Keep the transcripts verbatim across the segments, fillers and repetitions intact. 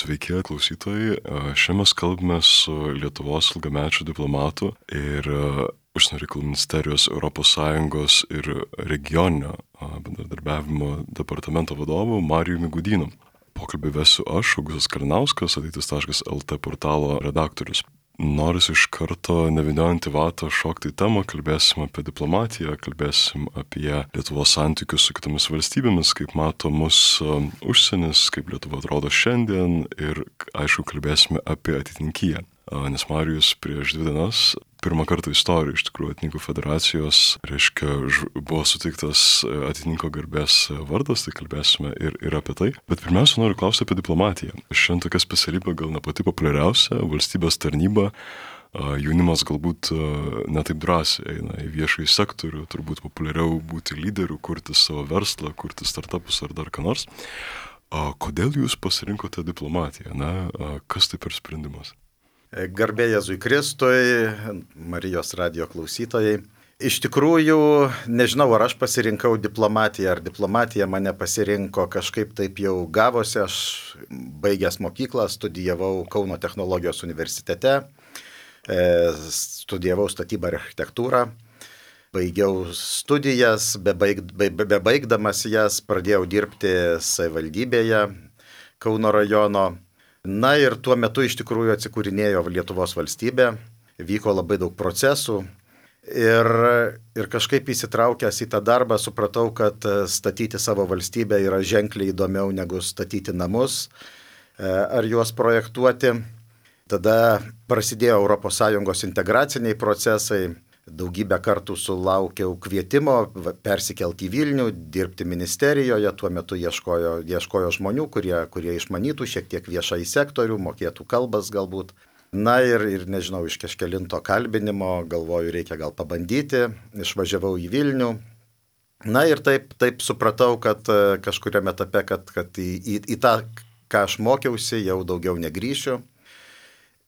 Sveiki, klausytojai. Šiandien mes kalbame su Lietuvos ilgamečiu diplomatu ir Užsienio reikalų ministerijos Europos Sąjungos ir regioninio bendradarbiavimo departamento vadovu Marijumi Gudynu. Pokalbį vesiu aš, Augustas Kalinauskas, ateitis taškas el tė portalo redaktorius. Norisi iš karto nevyniojant į vatą šokti į temą, kalbėsim apie diplomatiją, kalbėsim apie Lietuvos santykius su kitomis valstybėmis, kaip mato mus užsienis, kaip Lietuva atrodo šiandien ir, aišku, kalbėsime apie ateitininkiją. Nes Marijus prieš dvi dienas pirmą kartą istorijoje iš tikrųjų Ateitininkų federacijos, reiškia, buvo suteiktas ateitininko garbės vardas, tai kalbėsime ir, ir apie tai. Bet pirmiausia, noriu klausti apie diplomatiją. Šiandien tokia specialybė gal ne pati populiariausia, valstybės tarnyba, jaunimas galbūt netaip drąsiai eina į viešąjį sektorių, turbūt populiariau būti lyderiu, kurti savo verslą, kurti startupus ar dar ką nors. Kodėl jūs pasirinkote diplomatiją? Na, kas tai per sprendimas? Garbė Jėzui Kristui, Marijos radijo klausytojai. Iš tikrųjų, nežinau, ar aš pasirinkau diplomatiją, ar diplomatija mane pasirinko, kažkaip taip jau gavosi. Aš baigęs mokyklą, studijavau Kauno technologijos universitete, studijavau statybą ir architektūrą. Baigiau studijas, bebaig, be, bebaigdamas jas pradėjau dirbti savivaldybėje Kauno rajono. Na ir tuo metu iš tikrųjų atsikūrinėjo Lietuvos valstybė, vyko labai daug procesų ir, ir kažkaip įsitraukęs į tą darbą supratau, kad statyti savo valstybę yra ženkliai įdomiau negu statyti namus ar juos projektuoti. Tada prasidėjo Europos Sąjungos integraciniai procesai. Daugybę kartų sulaukiau kvietimo persikelti į Vilnių, dirbti ministerijoje, tuo metu ieškojo, ieškojo žmonių, kurie, kurie išmanytų šiek tiek viešąjį sektorių, mokėtų kalbas galbūt. Na ir, ir nežinau, iš kažkelinto kalbinimo galvoju, reikia gal pabandyti, išvažiavau į Vilnių. Na ir taip, taip supratau, kad kažkuriame etape, kad, kad į, į, į tą, ką aš mokiausi, jau daugiau negrįšiu.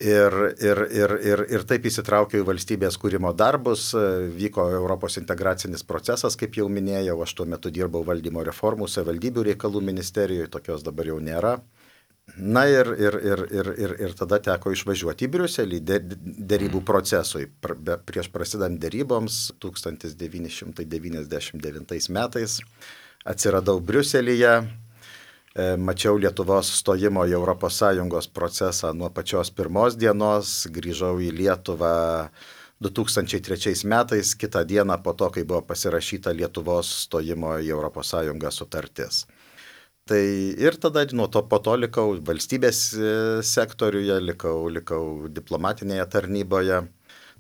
Ir, ir, ir, ir, ir taip įsitraukiau į valstybės kūrimo darbus, vyko Europos integracinis procesas, kaip jau minėjau, aš tuo metu dirbau valdymo reformų savivaldybių reikalų ministerijoje, tokios dabar jau nėra. Na ir, ir, ir, ir, ir, ir tada teko išvažiuoti į Briuselį derybų procesui. Prieš prasidant deryboms tūkstantis devyni šimtai devyniasdešimt devintais metais atsiradau Briuselyje. Mačiau Lietuvos stojimo į Europos Sąjungos procesą nuo pačios pirmos dienos, grįžau į Lietuvą du tūkstančiai trečiais metais, kitą dieną po to, kai buvo pasirašyta Lietuvos stojimo į Europos Sąjungą sutartis. Tai ir tada nuo to po to likau valstybės sektoriuje, likau, likau diplomatinėje tarnyboje.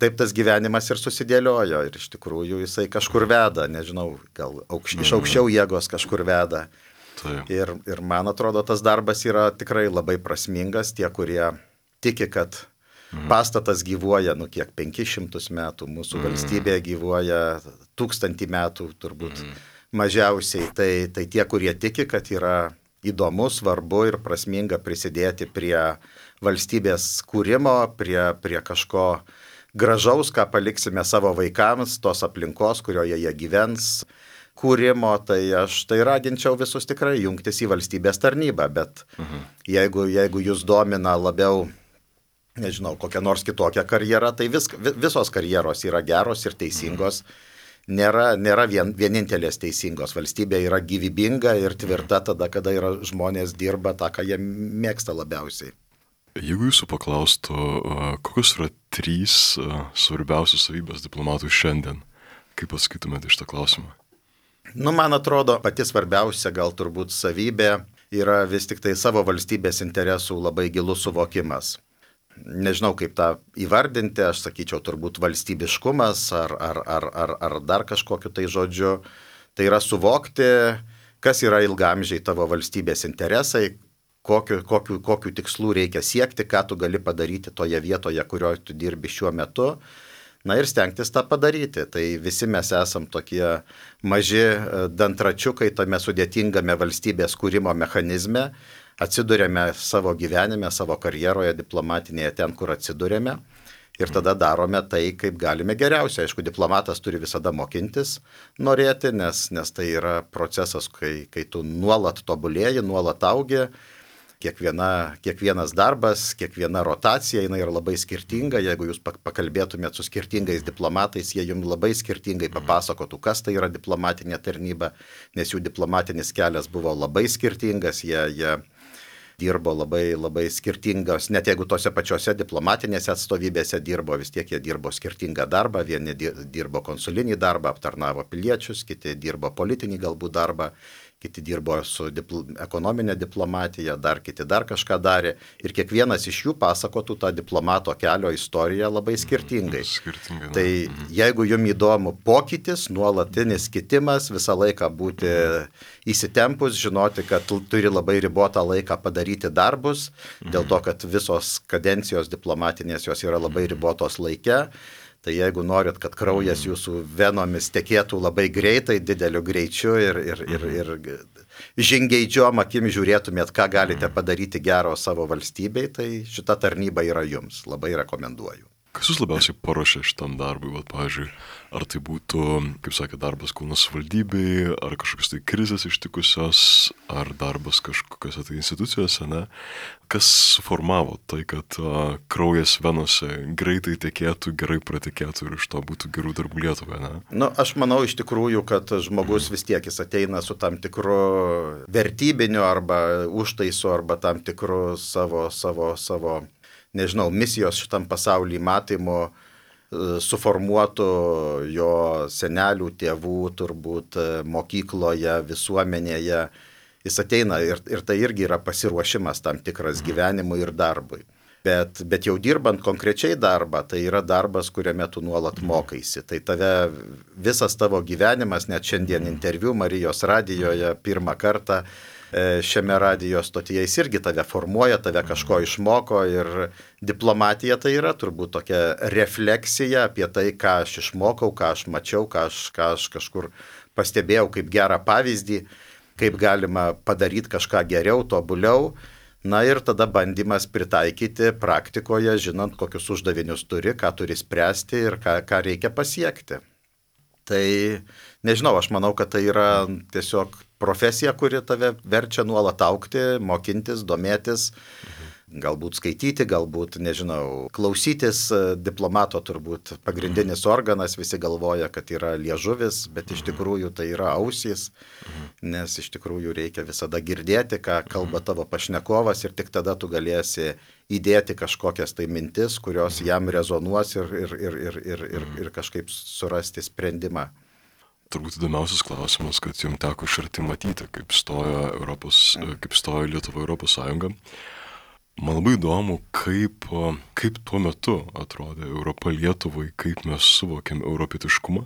Taip tas gyvenimas ir susidėliojo ir iš tikrųjų jisai kažkur veda, nežinau, gal aukš, iš aukščiau jėgos kažkur veda. Ir, ir man atrodo, tas darbas yra tikrai labai prasmingas. Tie, kurie tiki, kad mm. pastatas gyvuoja, nu kiek, penkis šimtus metų, mūsų mm. valstybė gyvuoja tūkstantį metų, turbūt mm. mažiausiai. Tai, tai tie, kurie tiki, kad yra įdomu, svarbu ir prasminga prisidėti prie valstybės kūrimo, prie, prie kažko gražaus, ką paliksime savo vaikams, tos aplinkos, kurioje jie gyvens, kūrimo, tai aš tai raginčiau visus tikrai jungtis į valstybės tarnybą, bet mhm. jeigu, jeigu jūs domina labiau, nežinau, kokia nors kitokia karjera, tai vis, visos karjeros yra geros ir teisingos, mhm. nėra, nėra vien, vienintelės teisingos, valstybė yra gyvybinga ir tvirta tada, kada yra žmonės dirba tą, ką jie mėgsta labiausiai. Jeigu jūsų paklaustų, kokios yra trys svarbiausios savybės diplomatų šiandien, kaip atsakytumėte iš tą klausimą? Nu, man atrodo, pati svarbiausia gal turbūt savybė yra vis tik tai savo valstybės interesų labai gilus suvokimas. Nežinau, kaip tą įvardinti, aš sakyčiau turbūt valstybiškumas ar, ar, ar, ar, ar dar kažkokiu tai žodžiu. Tai yra suvokti, kas yra ilgamžiai tavo valstybės interesai, kokiu, kokiu, kokiu tikslu reikia siekti, ką tu gali padaryti toje vietoje, kurioje tu dirbi šiuo metu. Na ir stengtis tą padaryti. Tai visi mes esam tokie maži dantračiukai tame sudėtingame valstybės kūrimo mechanizme. Atsidurėme savo gyvenime, savo karjeroje diplomatinėje ten, kur atsidurėme. Ir tada darome tai, kaip galime geriausiai. Aišku, diplomatas turi visada mokintis, norėti, nes, nes tai yra procesas, kai, kai tu nuolat tobulėji, nuolat augi. kiekviena, kiekvienas darbas, kiekviena rotacija, jinai yra labai skirtinga. Jeigu jūs pakalbėtumėt su skirtingais diplomatais, jie jums labai skirtingai papasakotų, kas tai yra diplomatinė tarnyba, nes jų diplomatinis kelias buvo labai skirtingas, jie, jie dirbo labai, labai skirtingos, net jeigu tose pačiose diplomatinėse atstovybėse dirbo, vis tiek jie dirbo skirtingą darbą, vieni dirbo konsulinį darbą, aptarnavo piliečius, kiti dirbo politinį galbūt darbą, kiti dirbo su dipl- ekonominė diplomatija, dar kiti dar kažką darė ir kiekvienas iš jų pasakotų tą diplomato kelio istoriją labai skirtingai. Skirtingai. Tai jeigu jums įdomu pokytis, nuolatinis kitimas, visą laiką būti įsitempus, žinoti, kad turi labai ribotą laiką padaryti darbus, dėl to, kad visos kadencijos diplomatinės jos yra labai ribotos laike. Tai jeigu norit, kad kraujas jūsų venomis tekėtų labai greitai, dideliu greičiu ir, ir, ir, ir žingeidžiom akim žiūrėtumėt, ką galite padaryti gero savo valstybei, tai šita tarnyba yra jums. Labai rekomenduoju. Kas jūs labiausiai paruošė šitam darbui? Vat, pavyzdžiui, ar tai būtų, kaip sakė, darbas Kauno savivaldybėj, ar kažkokios tai krizės ištikusios, ar darbas kažkokiose tai institucijose, ne? Kas suformavo tai, kad uh, kraujas venose greitai tekėtų, gerai pratekėtų ir iš to būtų gerų darbų Lietuvai, ne? Nu, aš manau iš tikrųjų, kad žmogus vis tiek jis ateina su tam tikru vertybiniu arba užtaisu, arba tam tikru savo, savo, savo nežinau, misijos šitam pasaulyje matymu suformuotų jo senelių, tėvų, turbūt mokykloje, visuomenėje. Jis ateina ir, ir tai irgi yra pasiruošimas tam tikras gyvenimui ir darbui. Bet, bet jau dirbant konkrečiai darbą, tai yra darbas, kuriame tu nuolat mokaisi. Tai tave, visas tavo gyvenimas, net šiandien interviu Marijos radijoje pirmą kartą, šiame radijos stotyje jis irgi tave formuoja, tave kažko išmoko ir diplomatija tai yra turbūt tokia refleksija apie tai, ką aš išmokau, ką aš mačiau, ką aš, ką aš kažkur pastebėjau kaip gerą pavyzdį, kaip galima padaryti kažką geriau, tobuliau. Na ir tada bandymas pritaikyti praktikoje, žinant, kokius uždavinius turi, ką turi spręsti ir ką, ką reikia pasiekti. Tai nežinau, aš manau, kad tai yra tiesiog profesija, kuri tave verčia nuolat augti, mokintis, domėtis, galbūt skaityti, galbūt, nežinau, klausytis. Diplomato turbūt pagrindinis organas, visi galvoja, kad yra liežuvis, bet iš tikrųjų tai yra ausys, nes iš tikrųjų reikia visada girdėti, ką kalba tavo pašnekovas ir tik tada tu galėsi įdėti kažkokias tai mintis, kurios jam rezonuos ir, ir, ir, ir, ir, ir, ir kažkaip surasti sprendimą. Turbūt įdomiausias klausimas, kad jums teko iš arti matyti, kaip stojo, Europos, kaip stojo Lietuva Europos Sąjunga. Man labai įdomu, kaip, kaip tuo metu atrodė Europa Lietuvai, kaip mes suvokėm europietiškumą.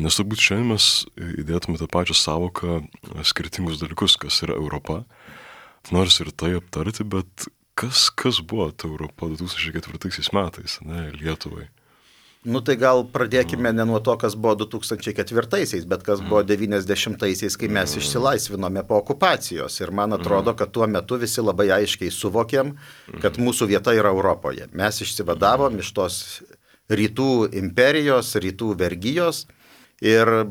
Nes turbūt šiandien mes įdėtume tą pačią savoką skirtingus dalykus, kas yra Europa. Nors ir tai aptarti, bet kas, kas buvo ta Europa du tūkstančiai ketvirtaisiais metais, ne, Lietuvai? Nu tai gal pradėkime ne nuo to, kas buvo du tūkstančiai ketvirtaisiais, bet kas buvo devyniasdešimtaisiais, kai mes išsilaisvinome po okupacijos. Ir man atrodo, kad tuo metu visi labai aiškiai suvokėm, kad mūsų vieta yra Europoje. Mes išsivadavom iš tos rytų imperijos, rytų vergijos ir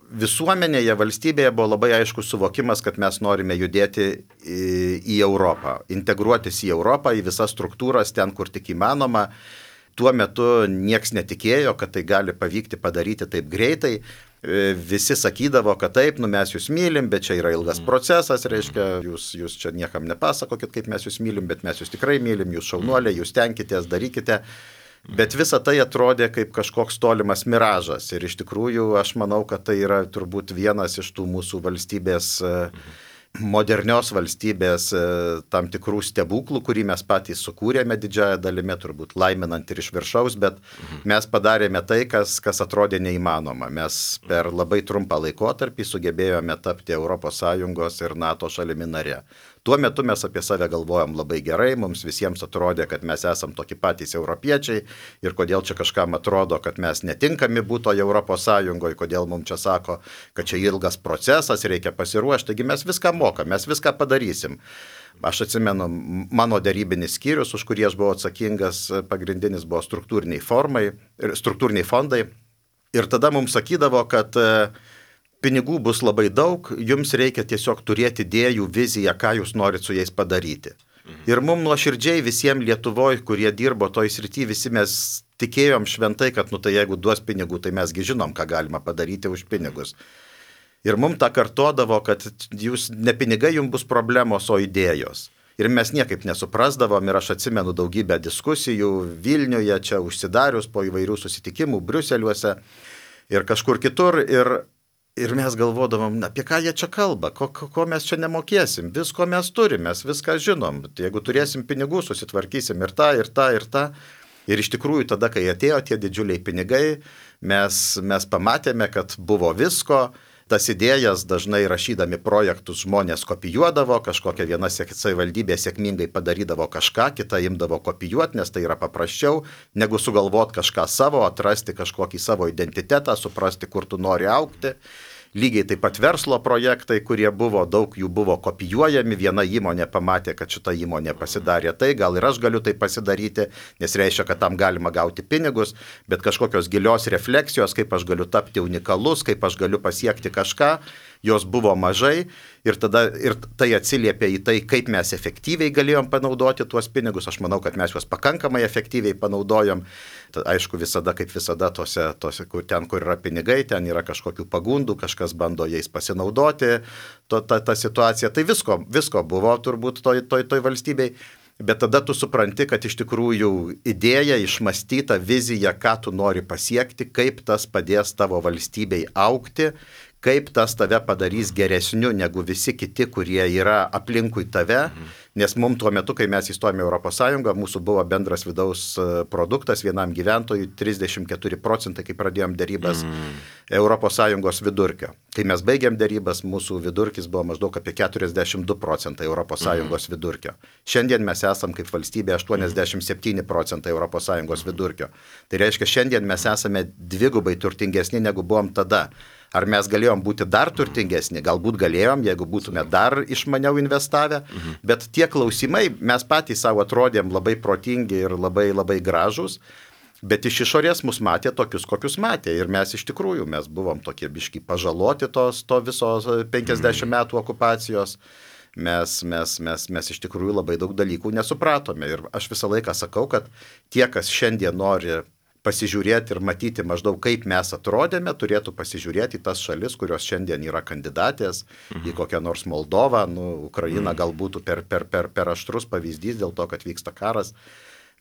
visuomenėje, valstybėje buvo labai aiškus suvokimas, kad mes norime judėti į, į Europą, integruotis į Europą, į visas struktūras ten, kur tik įmanoma. Tuo metu nieks netikėjo, kad tai gali pavykti padaryti taip greitai. Visi sakydavo, kad taip, nu mes jūs mylim, bet čia yra ilgas procesas, reiškia, jūs, jūs čia niekam nepasakokit, kaip mes jūs mylim, bet mes jūs tikrai mylim, jūs šaunuoliai, jūs tenkitės, darykite. Bet visa tai atrodė kaip kažkoks tolimas miražas. Ir iš tikrųjų aš manau, kad tai yra turbūt vienas iš tų mūsų valstybės modernios valstybės tam tikrų stebuklų, kurį mes patys sukūrėme didžiąją dalimi, turbūt laiminant ir iš viršaus, bet mes padarėme tai, kas, kas atrodė neįmanoma. Mes per labai trumpą laikotarpį sugebėjome tapti Europos Sąjungos ir NATO šalimi nare. Tuo metu mes apie save galvojom labai gerai, mums visiems atrodė, kad mes esam tokie patys europiečiai ir kodėl čia kažkam atrodo, kad mes netinkami būtoje Europos Sąjungoje, kodėl mums čia sako, kad čia ilgas procesas, reikia pasiruošti, taigi mes viską mokam, mes viską padarysim. Aš atsimenu, mano derybinis skyrius, už kurį aš buvau atsakingas, pagrindinis buvo struktūriniai, formai, struktūriniai fondai ir tada mums sakydavo, kad pinigų bus labai daug, jums reikia tiesiog turėti idėjų, viziją, ką jūs norit su jais padaryti. Ir mums nuoširdžiai visiems Lietuvoje, kurie dirbo toj srity, visi mes tikėjom šventai, kad nu tai jeigu duos pinigų, tai mesgi žinom, ką galima padaryti už pinigus. Ir mums tą kartodavo, kad jūs ne pinigai jums bus problemos, o idėjos. Ir mes niekaip nesuprasdavom ir aš atsimenu daugybę diskusijų Vilniuje, čia užsidarius po įvairių susitikimų, Briuseliuose ir kažkur kitur. Ir, ir mes galvodavom, apie ką jie čia kalba, ko, ko mes čia nemokėsim, visko mes turim, mes viską žinom. Jeigu turėsim pinigų, susitvarkysim ir tą, ir tą, ir tą. Ir iš tikrųjų tada, kai atėjo tie didžiuliai pinigai, mes, mes pamatėme, kad buvo visko. Tas idėjas dažnai rašydami projektus žmonės kopijuodavo, kažkokia viena savivaldybė sėkmingai padarydavo kažką, kita imdavo kopijuoti, nes tai yra paprasčiau, negu sugalvoti kažką savo, atrasti kažkokį savo identitetą, suprasti, kur tu nori augti. Lygiai taip pat verslo projektai, kurie buvo, daug jų buvo kopijuojami, viena įmonė pamatė, kad šita įmonė pasidarė tai, gal ir aš galiu tai pasidaryti, nes reiškia, kad tam galima gauti pinigus, bet kažkokios gilios refleksijos, kaip aš galiu tapti unikalus, kaip aš galiu pasiekti kažką, jos buvo mažai ir, tada, ir tai atsiliepia į tai, kaip mes efektyviai galėjom panaudoti tuos pinigus. Aš manau, kad mes juos pakankamai efektyviai panaudojom. Tad, aišku, visada, kaip visada, tose, tose, kur, ten, kur yra pinigai, ten yra kažkokių pagundų, kažkas bando jais pasinaudoti, to, ta, ta situacija. Tai visko, visko buvo turbūt toj, toj, toj valstybei. Bet tada tu supranti, kad iš tikrųjų idėja, išmastyta vizija, ką tu nori pasiekti, kaip tas padės tavo valstybei augti, kaip tas tave padarys geresniu negu visi kiti, kurie yra aplinkui tave, nes mums tuo metu, kai mes įstojome į Europos Sąjungą, mūsų buvo bendras vidaus produktas vienam gyventojui trisdešimt keturi procentai, kai pradėjom dėrybas mm. Europos Sąjungos vidurkio. Kai mes baigėm dėrybas, mūsų vidurkis buvo maždaug apie keturiasdešimt du procentai Europos Sąjungos mm. vidurkio. Šiandien mes esam kaip valstybė aštuoniasdešimt septyni procentai Europos Sąjungos vidurkio. Tai reiškia, šiandien mes esame dvigubai turtingesni, negu buvom tada. Ar mes galėjom būti dar turtingesni? Galbūt galėjom, jeigu būtume dar išmaniau investavę, mhm. bet tie klausimai, mes patys savo atrodėm labai protingi ir labai, labai gražus, bet iš išorės mus matė tokius, kokius matė. Ir mes iš tikrųjų, mes buvom tokie biški pažaloti tos, to viso penkiasdešimt metų okupacijos. Mes, mes, mes, mes iš tikrųjų labai daug dalykų nesupratome. Ir aš visą laiką sakau, kad tie, kas šiandien nori pasižiūrėti ir matyti maždaug, kaip mes atrodėme, turėtų pasižiūrėti į tas šalis, kurios šiandien yra kandidatės, mhm. į kokią nors Moldovą, nu, Ukraina mhm. gal būtų per, per, per, per aštrus pavyzdys dėl to, kad vyksta karas.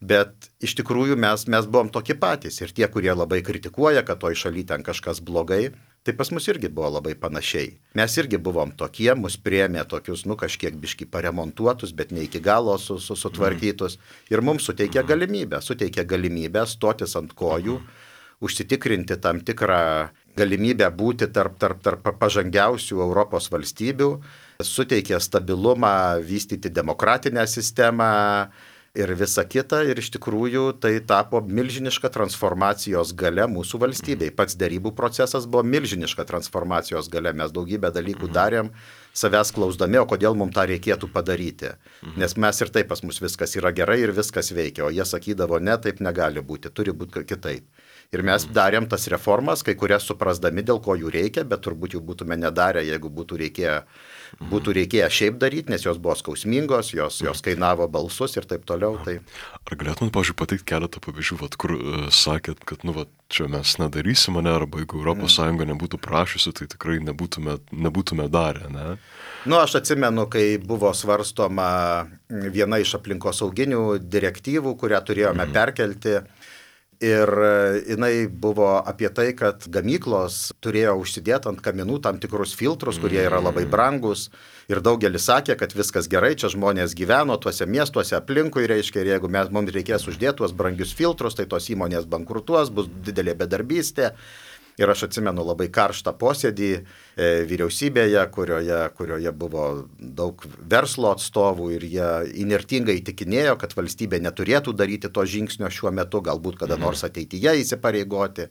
Bet iš tikrųjų mes, mes buvom tokie patys ir tie, kurie labai kritikuoja, kad toj šaly ten kažkas blogai, tai pas mus irgi buvo labai panašiai. Mes irgi buvom tokie, mus priėmė tokius, nu, kažkiek biški paremontuotus, bet ne iki galo su, su, sutvarkytus. Ir mums suteikė galimybę, suteikė galimybę stotis ant kojų, užsitikrinti tam tikrą galimybę būti tarp, tarp, tarp pažangiausių Europos valstybių, suteikė stabilumą, vystyti demokratinę sistemą, ir visa kita, ir iš tikrųjų tai tapo milžiniška transformacijos galia mūsų valstybei. Pats derybų procesas buvo milžiniška transformacijos galia, mes daugybę dalykų darėm, savęs klausdami, o kodėl mums tą reikėtų padaryti. Nes mes ir taip pas mus viskas yra gerai ir viskas veikia, o jie sakydavo, ne, taip negali būti, turi būti kitaip. Ir mes darėm tas reformas, kai kurias suprasdami, dėl ko jų reikia, bet turbūt jų būtume nedarę, jeigu būtų reikėję, būtų reikėję šiaip daryti, nes jos buvo skausmingos, jos, jos kainavo balsus ir taip toliau. Tai... Ar galėtum, pavyzdžiui, pateikti keletą pavyzdžių, vat, kur uh, sakėt, kad nu, vat, čia mes nedarysim, ne, arba jeigu Europos Sąjunga nebūtų prašysi, tai tikrai nebūtume, nebūtume darę, ne? Nu, aš atsimenu, kai buvo svarstoma viena iš aplinkosauginių direktyvų, kurią turėjome mm. perkelti. Ir jinai buvo apie tai, kad gamyklos turėjo užsidėti ant kaminų tam tikrus filtrus, kurie yra labai brangus. Ir daugelis sakė, kad viskas gerai, čia žmonės gyveno tuose miestuose aplinkui, reiškia, ir jeigu mes, mums reikės uždėti tuos brangius filtrus, tai tos įmonės bankrutuos, bus didelė bedarbystė. Ir aš atsimenu labai karštą posėdį e, vyriausybėje, kurioje, kurioje buvo daug verslo atstovų ir jie inertingai įtikinėjo, kad valstybė neturėtų daryti to žingsnio šiuo metu, galbūt kada nors ateityje įsipareigoti.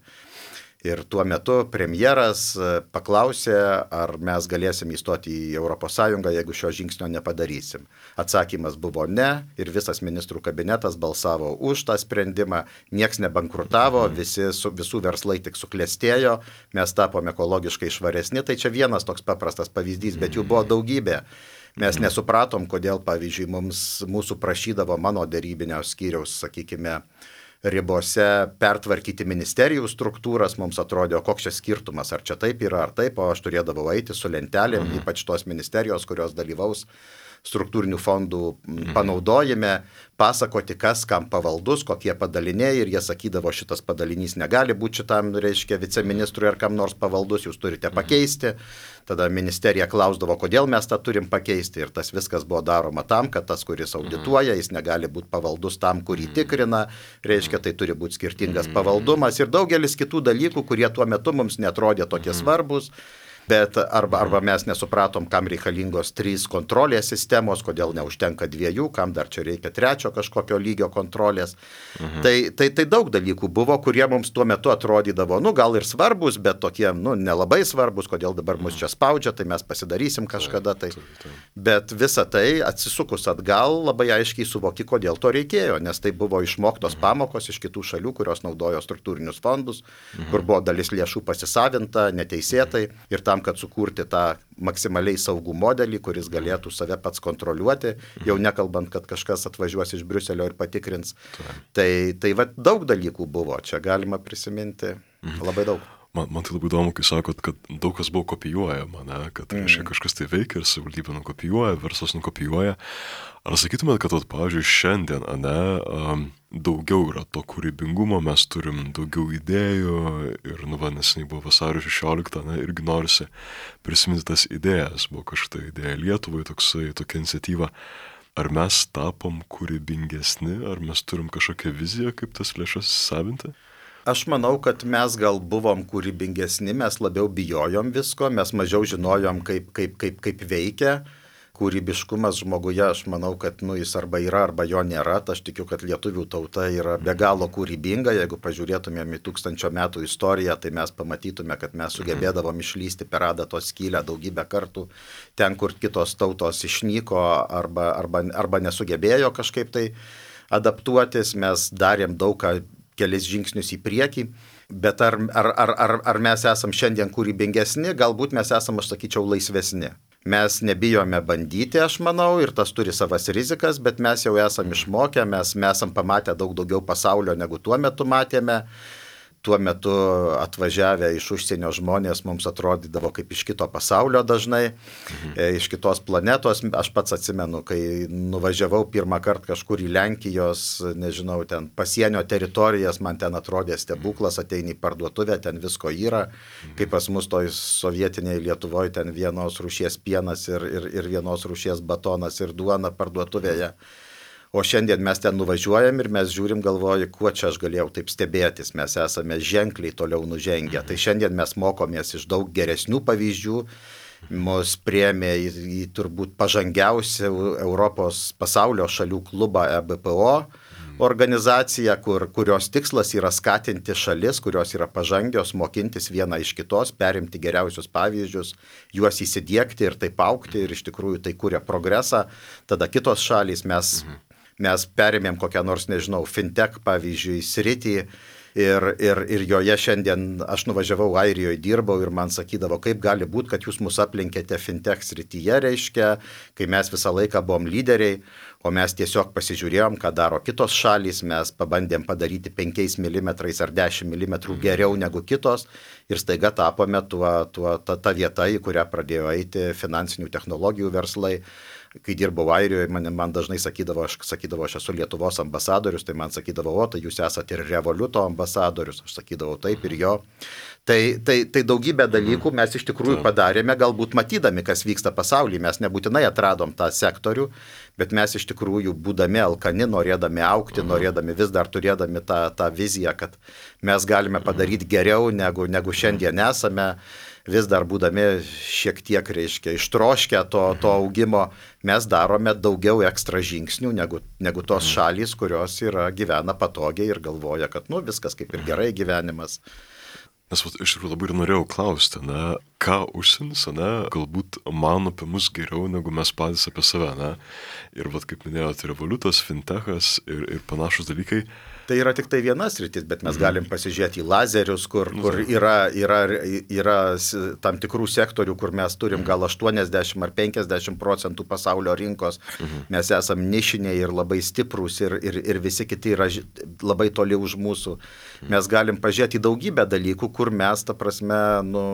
Ir tuo metu premjeras paklausė, ar mes galėsim įstoti į Europos Sąjungą, jeigu šio žingsnio nepadarysim. Atsakymas buvo ne ir visas ministrų kabinetas balsavo už tą sprendimą, nieks nebankrutavo, visi, su, visų verslai tik suklestėjo, mes tapome ekologiškai švaresni, tai čia vienas toks paprastas pavyzdys, bet jų buvo daugybė. Mes nesupratom, kodėl, pavyzdžiui, mums, mūsų prašydavo mano derybinio skyriaus, sakykime, ribose pertvarkyti ministerijų struktūras, mums atrodė, koks čia skirtumas, ar čia taip yra, ar taip, o aš turėdavau eiti su lentelėm, mhm. ypač tos ministerijos, kurios dalyvaus struktūrinių fondų panaudojime, pasakoti, kas kam pavaldus, kokie padaliniai, ir jie sakydavo, šitas padalinys negali būti šitam, reiškia, viceministrui ar kam nors pavaldus, jūs turite pakeisti. Tada ministerija klausdavo, kodėl mes tą turim pakeisti, ir tas viskas buvo daroma tam, kad tas, kuris audituoja, jis negali būti pavaldus tam, kurį tikrina, reiškia, tai turi būti skirtingas pavaldumas ir daugelis kitų dalykų, kurie tuo metu mums netrodė tokie svarbus. Bet arba, arba mes nesupratom, kam reikalingos trys kontrolės sistemos, kodėl neužtenka dviejų, kam dar čia reikia trečio kažkokio lygio kontrolės. Mhm. Tai, tai, tai daug dalykų buvo, kurie mums tuo metu atrodydavo, nu gal ir svarbus, bet tokie, nu nelabai svarbus, kodėl dabar mus čia spaudžia, tai mes pasidarysim kažkada. Tai. Bet visa tai atsisukus atgal labai aiškiai suvoki, kodėl to reikėjo, nes tai buvo išmoktos pamokos iš kitų šalių, kurios naudojo struktūrinius fondus, mhm. kur buvo dalis lėšų pasisavinta neteisėtai ir tam, kad sukurti tą maksimaliai saugų modelį, kuris galėtų save pats kontroliuoti, jau nekalbant, kad kažkas atvažiuos iš Briuselio ir patikrins. Tai, tai va, daug dalykų buvo, čia galima prisiminti labai daug. Man, man tai labai įdomu, kai sakot, kad daug kas buvo kopijuojama, ne? Kad mm. reiškia, kažkas tai veikia ir savivaldybė nukopijuoja, verslas nukopijuoja. Ar sakytumėt, kad, vat, pavyzdžiui, šiandien, ne, um, daugiau yra to kūrybingumo, mes turim daugiau idėjų ir, nu, va, neseniai buvo vasario šešioliktą, ne, irgi norisi prisiminti tas idėjas, buvo kažkokia idėja Lietuvai, toksai, tokia iniciatyva. Ar mes tapom kūrybingesni, ar mes turim kažkokią viziją, kaip tas lėšas savinti? Aš manau, kad mes gal buvom kūrybingesni, mes labiau bijojom visko, mes mažiau žinojom, kaip, kaip, kaip, kaip veikia. Kūrybiškumas žmoguje, aš manau, kad nu, jis arba yra, arba jo nėra. Aš tikiu, kad lietuvių tauta yra be galo kūrybinga. Jeigu pažiūrėtumėm į tūkstančio metų istoriją, tai mes pamatytume, kad mes sugebėdavom išlysti per adatos skylę daugybę kartų. Ten, kur kitos tautos išnyko arba, arba, arba nesugebėjo kažkaip tai adaptuotis, mes darėm daug ką, kelis žingsnius į priekį, bet ar, ar, ar, ar, ar mes esam šiandien kūrybingesni, galbūt mes esam, aš sakyčiau, laisvesni. Mes nebijome bandyti, aš manau, ir tas turi savas rizikas, bet mes jau esam išmokę, mes, mes esam pamatę daug daugiau pasaulio, negu tuo metu matėme. Tuo metu atvažiavę iš užsienio žmonės mums atrodydavo kaip iš kito pasaulio dažnai, mhm. iš kitos planetos. Aš pats atsimenu, kai nuvažiavau pirmą kartą kažkur į Lenkijos, nežinau, ten pasienio teritorijas, man ten atrodė stebuklas, ateini į parduotuvę, ten visko yra, mhm. kaip pas mus toj sovietinėje Lietuvoje, ten vienos rūšies pienas ir, ir, ir vienos rūšies batonas ir duona parduotuvėje. O šiandien mes ten nuvažiuojam ir mes žiūrim, galvoju, kuo čia aš galėjau taip stebėtis, mes esame ženkliai toliau nužengę. Tai šiandien mes mokomės iš daug geresnių pavyzdžių, mus priėmė į, į turbūt pažangiausią Europos pasaulio šalių klubą E B P O organizaciją, kur, kurios tikslas yra skatinti šalis, kurios yra pažangios, mokintis vieną iš kitos, perimti geriausius pavyzdžius, juos įsidiegti ir taip augti ir iš tikrųjų tai kuria progresą. Tada kitos šalys mes... Mhm. Mes perėmėm kokią nors, nežinau, fintech, pavyzdžiui, sritį ir, ir, ir joje šiandien aš nuvažiavau Airijoje, dirbau ir man sakydavo, kaip gali būti, kad jūs mus aplenkėte fintech srityje, reiškia, kai mes visą laiką buvom lyderiai, o mes tiesiog pasižiūrėjom, ką daro kitos šalys, mes pabandėm padaryti penkiais milimetrais ar dešimt milimetrų geriau negu kitos ir staiga tapome tuo, tuo, ta, ta vieta, į kurią pradėjo eiti finansinių technologijų verslai. Kai dirbau Airijoje, man, man dažnai sakydavo aš, sakydavo, aš esu Lietuvos ambasadorius, tai man sakydavo, o, tai jūs esate ir Revoluto ambasadorius, aš sakydavau taip ir jo. Tai, tai, tai daugybę dalykų mes iš tikrųjų padarėme, galbūt matydami, kas vyksta pasaulyje, mes nebūtinai atradom tą sektorių, bet mes iš tikrųjų būdami alkani, norėdami augti, norėdami vis dar turėdami tą, tą viziją, kad mes galime padaryti geriau, negu, negu šiandien esame, vis dar būdami šiek tiek, reiškia, ištroškę to, to augimo, mes darome daugiau ekstra žingsnių negu, negu tos šalys, kurios yra, gyvena patogiai ir galvoja, kad nu, viskas kaip ir gerai gyvenimas. Nes vat, iš tikrųjų labai ir norėjau klausti, ne, ką užsienis, ne, galbūt mano apie mus geriau, negu mes patys apie save, ne. Ir vat, kaip minėjote, revoliutas, fintechas ir, ir panašus dalykai. Tai yra tik tai vienas rytis, bet mes galim pasižiūrėti į lazerius, kur, kur yra, yra, yra tam tikrų sektorių, kur mes turim gal aštuoniasdešimt ar penkiasdešimt procentų pasaulio rinkos. Mes esam nišiniai ir labai stiprūs ir, ir, ir visi kiti yra labai toli už mūsų. Mes galim pažiūrėti į daugybę dalykų, kur mes, ta prasme, nu,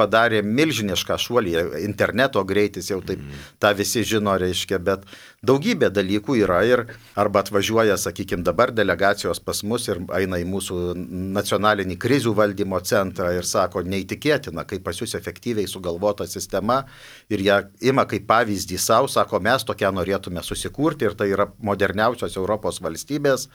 padarėm milžinišką šuolį. Interneto greitis jau taip, tą visi žino, reiškia, bet daugybė dalykų yra ir arba atvažiuoja, sakykime, dabar delegacijos pas mus ir eina į mūsų nacionalinį krizių valdymo centrą ir sako, neįtikėtina, kaip pas jūs efektyviai sugalvota sistema ir ją ima kaip pavyzdį savo, sako, mes tokią norėtume susikurti ir tai yra moderniausios Europos valstybės,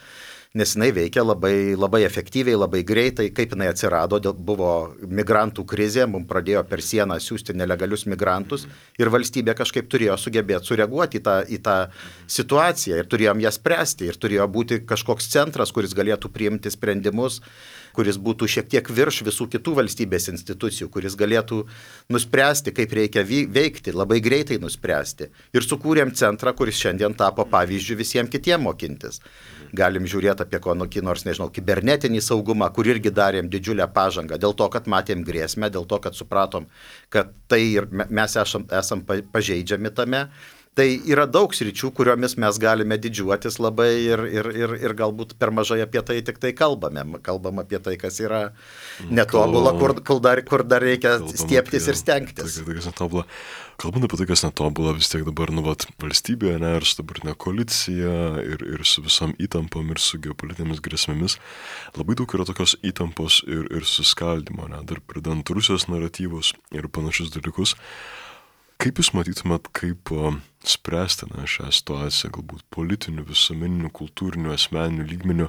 nes jinai veikia labai, labai efektyviai, labai greitai, kaip jinai atsirado, buvo migrantų krizė, mums pradėjo per sieną siūsti nelegalius migrantus ir valstybė kažkaip turėjo sugebėti sureaguoti į tą, į tą situaciją ir turėjom ją spręsti ir turėjo būti kažkoks centras, kuris galėtų priimti sprendimus, kuris būtų šiek tiek virš visų kitų valstybės institucijų, kuris galėtų nuspręsti, kaip reikia veikti, labai greitai nuspręsti. Ir sukūrėm centrą, kuris šiandien tapo pavyzdžių visiems kitiems mokintis. Galim žiūrėti apie kokį nors, nežinau, kibernetinį saugumą, kur irgi darėm didžiulę pažangą, dėl to, kad matėm grėsmę, dėl to, kad supratom, kad tai ir mes esam, esam pažeidžiami tame. Tai yra daug sričių, kuriomis mes galime didžiuotis labai ir, ir, ir, ir galbūt per mažai apie tai tik tai kalbame. Kalbam apie tai, kas yra netobula, kur, kur, dar, kur dar reikia stieptis apie, ir stengtis. Tai, tai, kas netobula. Kalbant apie tai, kas netobula, vis tiek dabar, nu, vat, valstybėje, ne, ir su dabartinė koalicija, ir, ir su visom įtampom, ir su geopolitinėmis grėsmėmis, labai daug yra tokios įtampos ir, ir suskaldimo, ne, dar pridant Rusijos naratyvus ir panašius dalykus. Kaip jūs matytumėt, kaip spręsti na, šią situaciją, galbūt politinių, visuomeninių, kultūrinių, asmeninių lygmenių,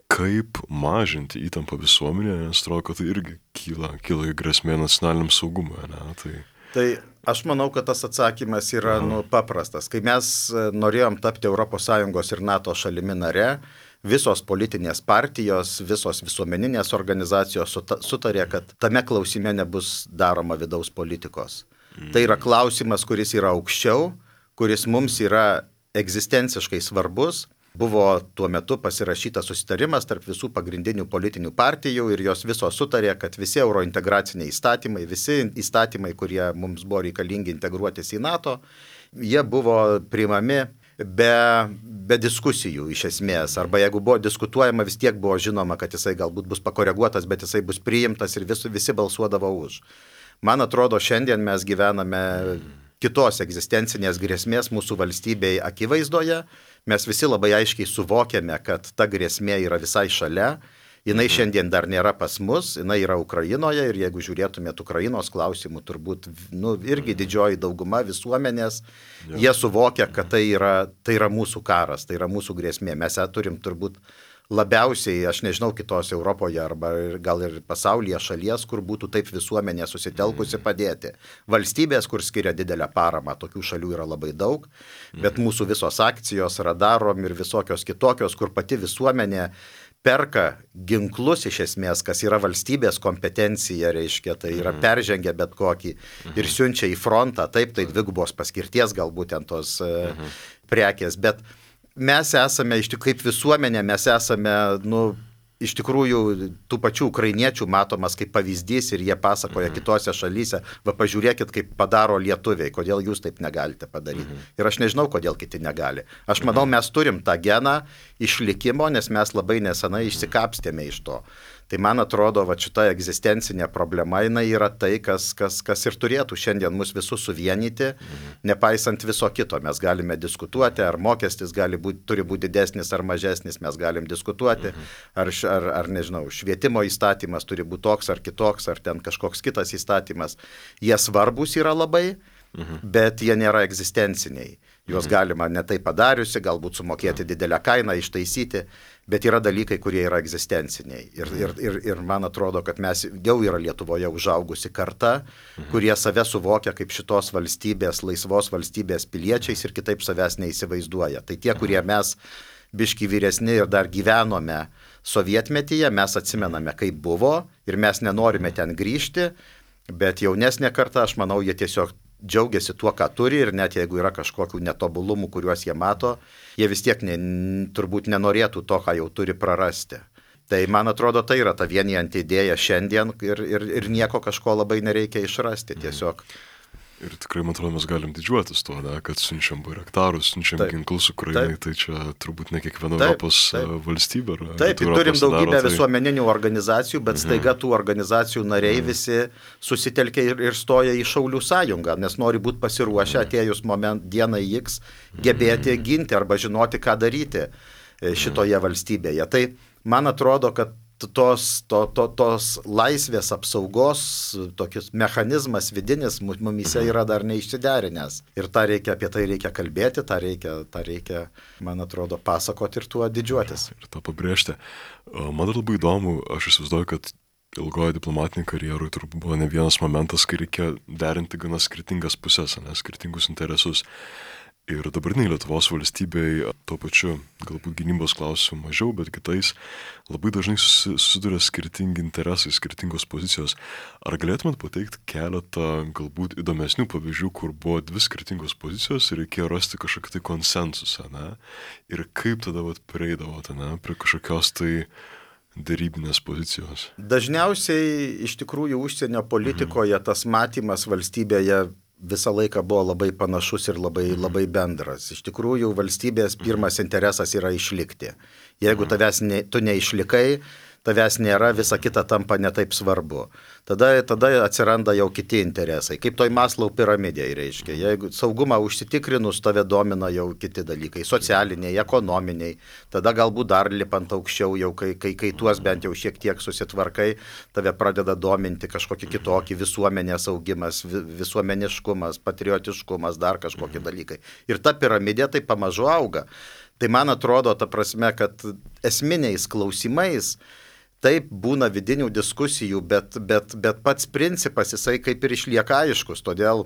kaip mažinti įtampą visuomenėje, nes atrodo, kad tai irgi kyla, kyla grėsmė nacionaliniam saugumui, ne? Tai... tai aš manau, kad tas atsakymas yra nu, paprastas. Kai mes norėjom tapti Europos Sąjungos ir NATO šalimi nare, visos politinės partijos, visos visuomeninės organizacijos sutarė, kad tame klausime nebus daroma vidaus politikos. Tai yra klausimas, kuris yra aukščiau, kuris mums yra egzistenciškai svarbus. Buvo tuo metu pasirašytas susitarimas tarp visų pagrindinių politinių partijų ir jos visos sutarė, kad visi eurointegraciniai įstatymai, visi įstatymai, kurie mums buvo reikalingi integruotis į NATO, jie buvo priimami be, be diskusijų iš esmės. Arba jeigu buvo diskutuojama, vis tiek buvo žinoma, kad jisai galbūt bus pakoreguotas, bet jisai bus priimtas ir vis, visi balsuodavo už. Man atrodo, šiandien mes gyvename kitos egzistencinės grėsmės mūsų valstybei akivaizdoje. Mes visi labai aiškiai suvokiame, kad ta grėsmė yra visai šalia. Jinai šiandien dar nėra pas mus, jinai yra Ukrainoje ir jeigu žiūrėtumėt Ukrainos klausimų, turbūt nu, irgi didžioji dauguma visuomenės, jie suvokia, kad tai yra, tai yra mūsų karas, tai yra mūsų grėsmė. Mes ją turim turbūt labiausiai, aš nežinau, kitos Europoje arba gal ir pasaulyje šalies, kur būtų taip visuomenė susitelkusi padėti. Valstybės, kur skiria didelę paramą, tokių šalių yra labai daug, bet mūsų visos akcijos, radarom ir visokios kitokios, kur pati visuomenė perka ginklus iš esmės, kas yra valstybės kompetencija, reiškia, tai yra peržengia bet kokį ir siunčia į frontą, taip, tai dvigubos paskirties galbūt ten tos uh, prekės, bet mes esame, iš tikrųjų, kaip visuomenė, mes esame, nu, iš tikrųjų, tų pačių ukrainiečių matomas kaip pavyzdys ir jie pasakoja mhm. kitose šalyse, va pažiūrėkit, kaip padaro lietuviai, kodėl jūs taip negalite padaryti. Mhm. Ir aš nežinau, kodėl kiti negali. Aš manau, mes turim tą geną išlikimo, nes mes labai nesenai išsikapstėme iš to. Tai man atrodo, va šita egzistencinė problema, jinai yra tai, kas, kas, kas ir turėtų šiandien mus visus suvienyti, mhm. nepaisant viso kito. Mes galime diskutuoti, ar mokestis gali būti, turi būti didesnis ar mažesnis, mes galim diskutuoti, mhm. ar, ar, ar, nežinau, švietimo įstatymas turi būti toks ar kitoks, ar ten kažkoks kitas įstatymas. Jie svarbus yra labai, mhm. bet jie nėra egzistenciniai. Juos mhm. galima netai padariusi, galbūt sumokėti mhm. didelę kainą, ištaisyti, bet yra dalykai, kurie yra egzistenciniai. Ir, ir, ir, ir man atrodo, kad mes jau yra Lietuvoje užaugusi karta, mhm. kurie save suvokia kaip šitos valstybės, laisvos valstybės piliečiais ir kitaip savęs neįsivaizduoja. Tai tie, kurie mes biški vyresni ir dar gyvenome sovietmetyje, mes atsimename, kaip buvo ir mes nenorime ten grįžti, bet jaunesnė karta, aš manau, jie tiesiog džiaugiasi tuo, ką turi ir net jeigu yra kažkokių netobulumų, kuriuos jie mato, jie vis tiek ne, turbūt nenorėtų to, ką jau turi prarasti. Tai man atrodo, tai yra ta vienijanti idėja šiandien ir, ir, ir nieko kažko labai nereikia išrasti tiesiog. Ir tikrai, man atrodo, mes galim didžiuotis tuo, ne, kad siunčiam bairaktarus, siunčiam taip, ginklus Ukrainai, taip, tai čia turbūt ne kiekviena taip, Europos taip. valstybė. Ar, taip, ir turim daugybę daro, tai... visuomeninių organizacijų, bet mhm. staiga tų organizacijų nariai mhm. visi susitelkia ir, ir stoja į Šaulių sąjungą, nes nori būti pasiruošę mhm. atėjus moment dienai X gebėti mhm. ginti arba žinoti, ką daryti šitoje mhm. valstybėje. Tai man atrodo, kad tos, to, to, tos laisvės apsaugos tokis mechanizmas vidinis mumise yra dar neišsiderinęs. Ir tą reikia, apie tai reikia kalbėti, tą reikia, tą reikia, man atrodo, pasakoti ir tuo didžiuotis. Ir tą pabrėžti. Man dar labai įdomu, aš įsivaizduoju, kad ilgoje diplomatinėje karjeroje turbūt buvo ne vienas momentas, kai reikia derinti gana skirtingas pusės, ne, skirtingus interesus. Ir dabartiniai Lietuvos valstybei, tuo pačiu galbūt gynybos klausimų mažiau, bet kitais labai dažnai susiduria skirtingi interesai, skirtingos pozicijos. Ar galėtumėt pateikti keletą galbūt įdomesnių pavyzdžių, kur buvo dvi skirtingos pozicijos ir reikėjo rasti kažkokį tai konsensusą, ne? Ir kaip tada vat prieidavote, ne, prie kažkokios tai darybinės pozicijos? Dažniausiai iš tikrųjų užsienio politikoje mhm. tas matymas valstybėje visą laiką buvo labai panašus ir labai, labai bendras. Iš tikrųjų, valstybės pirmas interesas yra išlikti. Jeigu tavęs ne, tu neišlikai, tavęs nėra, visa kita tampa netaip svarbu. Tada, tada atsiranda jau kiti interesai. Kaip toj Maslau piramidėje reiškia. Jeigu saugumą užsitikrinus, tave domina jau kiti dalykai. Socialiniai, ekonominiai. Tada galbūt dar lipant aukščiau, jau kai, kai, kai tuos bent jau šiek tiek susitvarkai, tave pradeda dominti kažkokį kitokį visuomenės augimas, visuomeniškumas, patriotiškumas, dar kažkokie dalykai. Ir ta piramidė tai pamažu auga. Tai man atrodo, ta prasme, kad esminiais klausimais taip būna vidinių diskusijų, bet, bet, bet pats principas jisai kaip ir išlieka aiškus. Todėl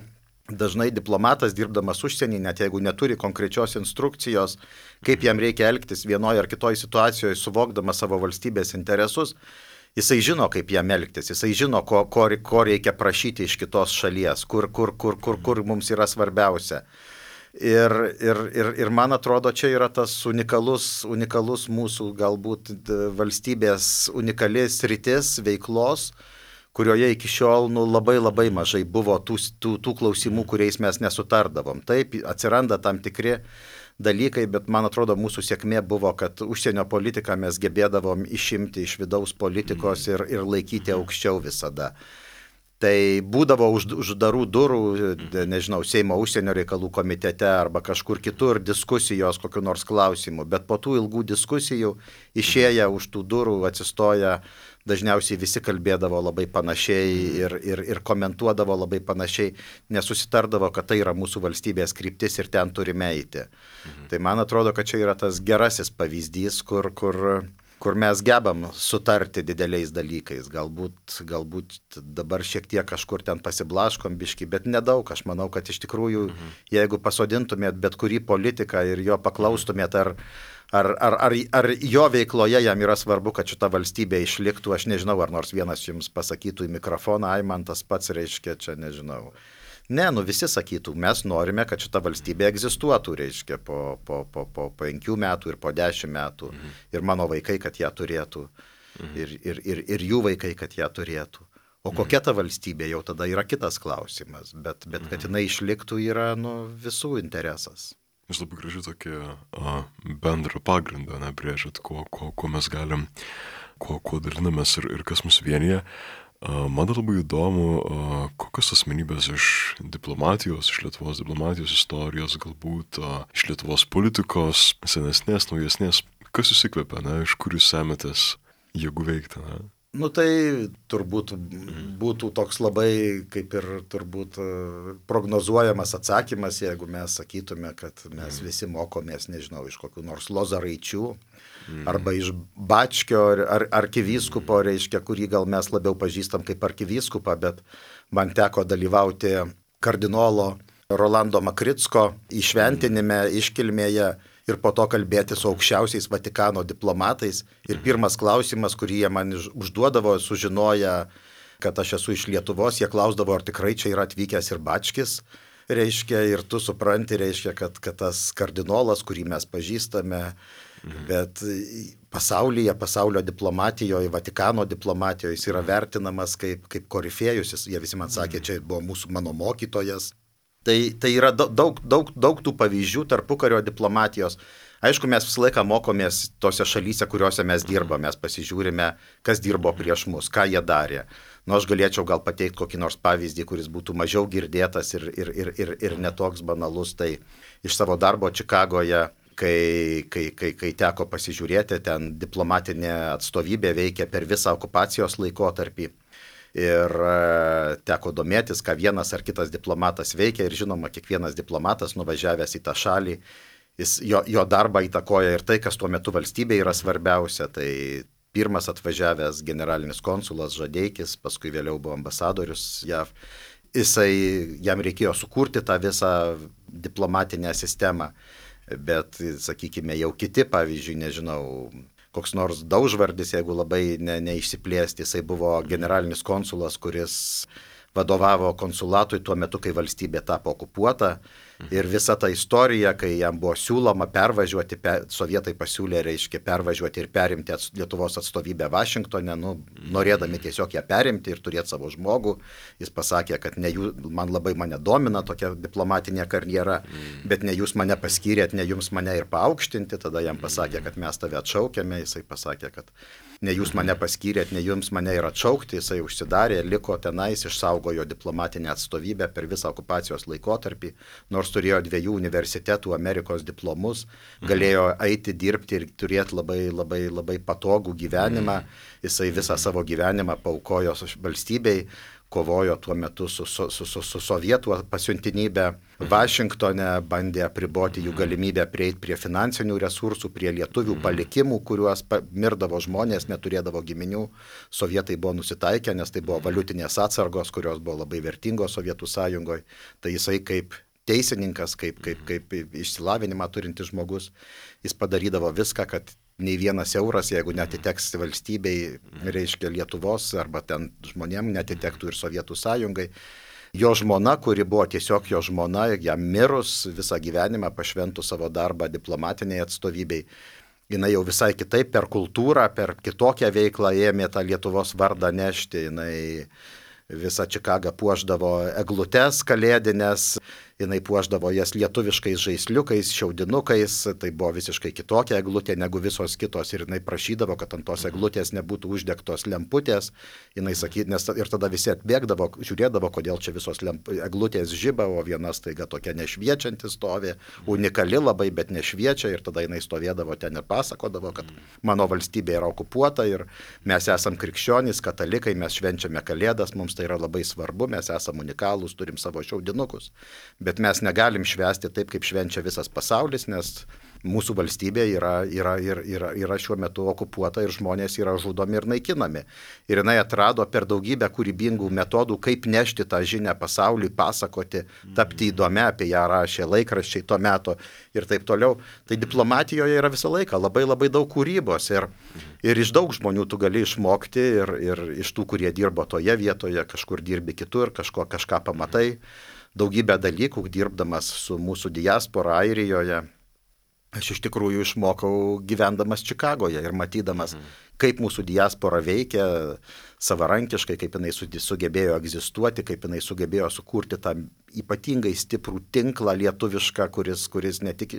dažnai diplomatas dirbdamas užsienį, net jeigu neturi konkrečios instrukcijos, kaip jam reikia elgtis vienoje ar kitoje situacijoje, suvokdamas savo valstybės interesus, jisai žino, kaip jam elgtis, jisai žino, ko, ko, ko reikia prašyti iš kitos šalies, kur, kur, kur, kur, kur mums yra svarbiausia. Ir, ir, ir, ir man atrodo, čia yra tas unikalus, unikalus mūsų galbūt valstybės unikalis sritis veiklos, kurioje iki šiol nu, labai labai mažai buvo tų, tų, tų klausimų, kuriais mes nesutardavom. Taip, atsiranda tam tikri dalykai, bet man atrodo, mūsų sėkmė buvo, kad užsienio politiką mes gebėdavom išimti iš vidaus politikos ir, ir laikyti aukščiau visada. Tai būdavo už, uždarų durų, nežinau, Seimo užsienio reikalų komitete arba kažkur kitur diskusijos kokiu nors klausimu, bet po tų ilgų diskusijų išėję už tų durų atsistoja, dažniausiai visi kalbėdavo labai panašiai ir, ir, ir komentuodavo labai panašiai, nesusitardavo, kad tai yra mūsų valstybės kryptis ir ten turime eiti. Mhm. Tai man atrodo, kad čia yra tas gerasis pavyzdys, kur... kur kur mes gebam sutarti dideliais dalykais. Galbūt, galbūt dabar šiek tiek kažkur ten pasiblaškom biški, bet nedaug. Aš manau, kad iš tikrųjų, mhm. jeigu pasodintumėt bet kurį politiką ir jo paklaustumėt, ar, ar, ar, ar, ar jo veikloje jam yra svarbu, kad šita valstybė išliktų, aš nežinau, ar nors vienas jums pasakytų į mikrofoną, ai man tas pats reiškia, čia nežinau. Ne, nu visi sakytų, mes norime, kad šita valstybė egzistuotų, reiškia, po, po, po, po penkių metų ir po dešimt metų. Mhm. Ir mano vaikai, kad ją turėtų. Mhm. Ir, ir, ir, ir jų vaikai, kad ją turėtų. O mhm. kokia ta valstybė jau tada yra kitas klausimas. Bet, bet kad jinai išliktų yra nu, visų interesas. Jūs labai gražiai tokį a, bendrą pagrindą nebrėžat, kuo, kuo, kuo mes galim, kuo, kuo dalinamės ir, ir kas mus vienyje. Man dar labai įdomu, kokios asmenybės iš diplomatijos, iš Lietuvos diplomatijos istorijos, galbūt iš Lietuvos politikos, senesnės, naujesnės, kas jūs įkvepia, ne, iš kur jūs semetės jėgų veikti, ne? Nu tai turbūt būtų toks labai, kaip ir turbūt prognozuojamas atsakymas, jeigu mes sakytume, kad mes visi mokomės, nežinau, iš kokių nors lozaraičių, arba iš Bačkio ar arkivyskupo, reiškia, kurį gal mes labiau pažįstam kaip arkivyskupą, bet man teko dalyvauti kardinolo Rolando Makricko įšventinime, iškilmėje ir po to kalbėti su aukščiausiais Vatikano diplomatais. Ir pirmas klausimas, kurį jie man užduodavo, sužinoję, kad aš esu iš Lietuvos, jie klausdavo, ar tikrai čia yra atvykęs ir Bačkis. Reiškia, ir tu supranti, reiškia, kad, kad tas kardinolas, kurį mes pažįstame, mhm. bet pasaulyje, pasaulio diplomatijoje, Vatikano diplomatijoje jis yra vertinamas kaip, kaip korifėjus, jie visi man sakė, čia buvo mūsų mano mokytojas. Tai, tai yra daug, daug, daug tų pavyzdžių tarpukario diplomatijos. Aišku, mes visą laiką mokomės tose šalyse, kuriuose mes dirbame, mes pasižiūrime, kas dirbo prieš mus, ką jie darė. Nu, aš galėčiau gal pateikti kokį nors pavyzdį, kuris būtų mažiau girdėtas ir, ir, ir, ir, ir netoks banalus. Tai iš savo darbo Čikagoje, kai, kai, kai, kai teko pasižiūrėti, ten diplomatinė atstovybė veikia per visą okupacijos laikotarpį. Ir teko domėtis, ką vienas ar kitas diplomatas veikia ir žinoma, kiekvienas diplomatas nuvažiavęs į tą šalį, jis, jo, jo darbą įtakoja ir tai, kas tuo metu valstybėje yra svarbiausia. Tai pirmas atvažiavęs generalinis konsulas Žadeikis, paskui vėliau buvo ambasadorius J A V, jisai, jam reikėjo sukurti tą visą diplomatinę sistemą, bet, sakykime, jau kiti, pavyzdžiui, nežinau, koks nors Daužvardis, jeigu labai ne, neišsiplėsti, jisai buvo generalinis konsulas, kuris vadovavo konsulatui tuo metu, kai valstybė tapo okupuota. Ir visa ta istorija, kai jam buvo siūloma pervažiuoti, per, sovietai pasiūlė, reiškia, pervažiuoti ir perimti ats, Lietuvos atstovybę Vašingtone, nu, norėdami tiesiog ją perimti ir turėti savo žmogų. Jis pasakė, kad ne jų, man labai mane domina tokia diplomatinė karjera, bet ne jūs mane paskyrėt, ne jums mane ir paaukštinti. Tada jam pasakė, kad mes tave atšaukėme, jisai pasakė, kad ne jūs mane paskyrėt, ne jums mane ir atšaukti, jisai užsidarė, liko tenais, išsaugojo diplomatinę atstovybę per visą okupacijos laikotarpį, nors turėjo dviejų universitetų Amerikos diplomus, galėjo eiti dirbti ir turėti labai, labai, labai patogų gyvenimą, jisai visą savo gyvenimą paaukojo valstybei, kovojo tuo metu su, su, su, su, su sovietų pasiuntinybė. Vašingtone bandė apriboti jų galimybę prieiti prie finansinių resursų, prie lietuvių palikimų, kuriuos mirdavo žmonės, neturėdavo giminių. Sovietai buvo nusitaikę, nes tai buvo valiutinės atsargos, kurios buvo labai vertingos Sovietų sąjungoje. Tai jisai kaip teisininkas, kaip, kaip, kaip išsilavinimą turintis žmogus, jis padarydavo viską, kad nei vienas euras, jeigu netiteks valstybei, reiškia Lietuvos arba ten žmonėm, netitektų ir Sovietų sąjungai. Jo žmona, kuri buvo tiesiog jo žmona, jam mirus visą gyvenimą pašventų savo darbą diplomatiniai atstovybei, jinai jau visai kitaip per kultūrą, per kitokią veiklą ėmė tą Lietuvos vardą nešti, jinai visą Čikagą puošdavo eglutes kalėdinės, jinai puošdavo jas lietuviškais žaisliukais, šiaudinukais, tai buvo visiškai kitokia eglutė negu visos kitos ir jinai prašydavo, kad ant tos eglutės nebūtų uždegtos lemputės, jinai sakė, nes ir tada visi atbėgdavo, žiūrėdavo, kodėl čia visos lemp, eglutės žiba, o viena staiga tokia nešviečianti stovi, unikali labai, bet nešviečia ir tada jinai stovėdavo ten ir pasakodavo, kad mano valstybė yra okupuota ir mes esam krikščionys, katalikai, mes švenčiame Kalėdas, mums tai yra labai svarbu, mes esam unikalūs, turim savo šiaudinukus. Bet mes negalim švęsti taip, kaip švenčia visas pasaulis, nes mūsų valstybė yra, yra, yra, yra šiuo metu okupuota ir žmonės yra žudomi ir naikinami. Ir jinai atrado per daugybę kūrybingų metodų, kaip nešti tą žinią pasauliui, pasakoti, tapti įdomia, apie ją rašė laikraščiai to meto ir taip toliau. Tai diplomatijoje yra visą laiką labai labai daug kūrybos ir, ir iš daug žmonių tu gali išmokti ir, ir iš tų, kurie dirbo toje vietoje, kažkur dirbi kitur, kažko, kažką pamatai. Daugybę dalykų, dirbdamas su mūsų diaspora Airijoje, aš iš tikrųjų išmokau gyvendamas Čikagoje ir matydamas, kaip mūsų diaspora veikia savarankiškai, kaip jinai sugebėjo egzistuoti, kaip jinai sugebėjo sukurti tą ypatingai stiprų tinklą lietuvišką, kuris, kuris ne tik